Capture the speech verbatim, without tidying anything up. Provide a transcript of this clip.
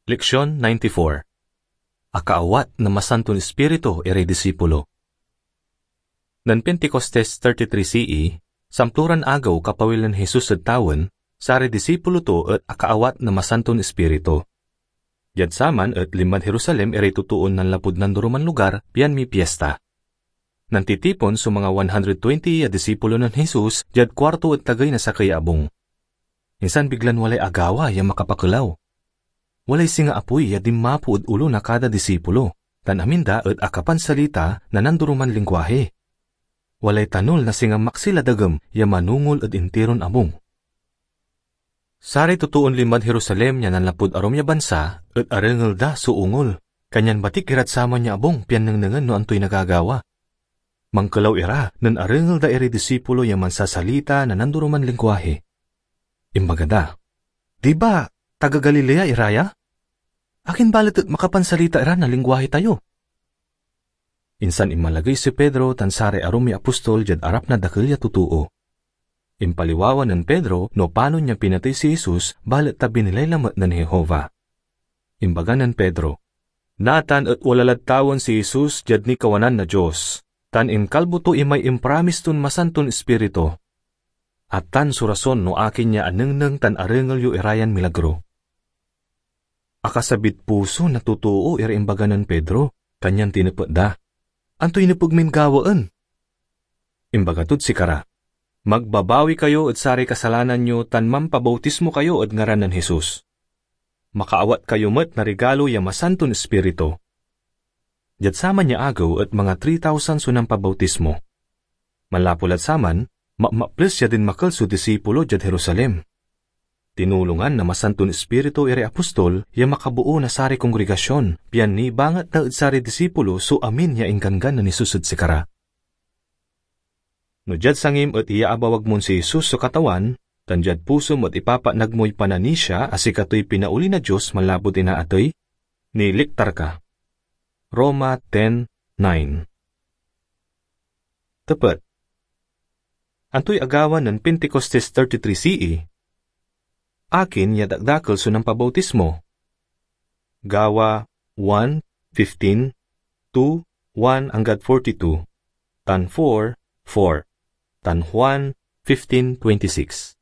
Leksion ninety-four. Akaawat na Masanton Ispiritu iray disipulo. Nen Pentecostes thirty-three C E, samploran agew kapawil nen Jesus ed tawen, saray disipulo to et akaawat na Masanton Ispiritu. Diad saman et linmad Jerusalem iray totoon nanlapud nandoroman lugar pian mipiesta. Nantitipon so mga one hundred twenty ya disipulo nen Jesus diad kuarto ed tagey na sakey a abung. Insan biglan walay agawa ya makapakelaw. Walay singa apoy ya dinmapo ed olo na kada disipulo, tan amin da et akapansalita na nandoroman lingwahi. Walay tanol na singa maksil a dagem ya manongol ed intiron abung. Saray totoon linmad Jerusalem ya nanlapud arum ya bansa et arengel da so ongol, kanyan batik irad saman ya abung pian nengnengen no antoy nagagawa. Mankelaw ira nen arengel da iray disipulo ya mansasalita na nandoroman lingwahi. Imbaga da, "Di ba taga Galilea ira ya? Akin balet et makapansalita ira na lingwahi tayo?" Insan inmalagey si Pedro tan saray arum ya apostol diad arap na dakel ya totoo. Impaliwawa nen Pedro no panon ya pinatey si Jesus, balet ta binilay lamet nen Jehovah. Imbaga nen Pedro, "Natan et wala lad tawen si Jesus diad nikawanan na Dios, tan inkalbo to imay impromis ton Masanton Ispiritu. Atan so rason no akin ya anengneng tan arengel yo irayan milagro." Akasabid puso na totoo iray imbaga nen Pedro, kanyan tinepet da, "Antoy nepeg min gawaen?" Imbaga tod sikara, "Magbabawi kayo ed saray kasalanan yo tan mampabautismo kayo ed ngaran nen Jesus. Makaawat kayo met na rigalo ya Masanton Ispiritu." Diad saman ya agew et mga three thousand so nampabautismo. Manlapud lad saman, mapmaples ya dinmakel so disipulo diad Jerusalem. Tinulongan na Masanton Ispiritu iray apostol ya makaboo na saray kongregasyon, pian nibangat da ed saray disipulo so amin ya ingganggan nen Jesus ed sikara. No diad sangim et iyaabawag mon si Jesus so Katawan, tan diad pusom et ipapatnag moy pananisia a sikatoy pinaoli na Dios manlapud inaatey, niliktar ka. Roma ten nine. Tepet. Antoy agawa nen Pentecostes thirty-three C E? Akin ya dakdakel so nampabautismo? Gawa one fifteen, two, one anggad forty-two, tan four, four, tan Juan fifteen twenty-six.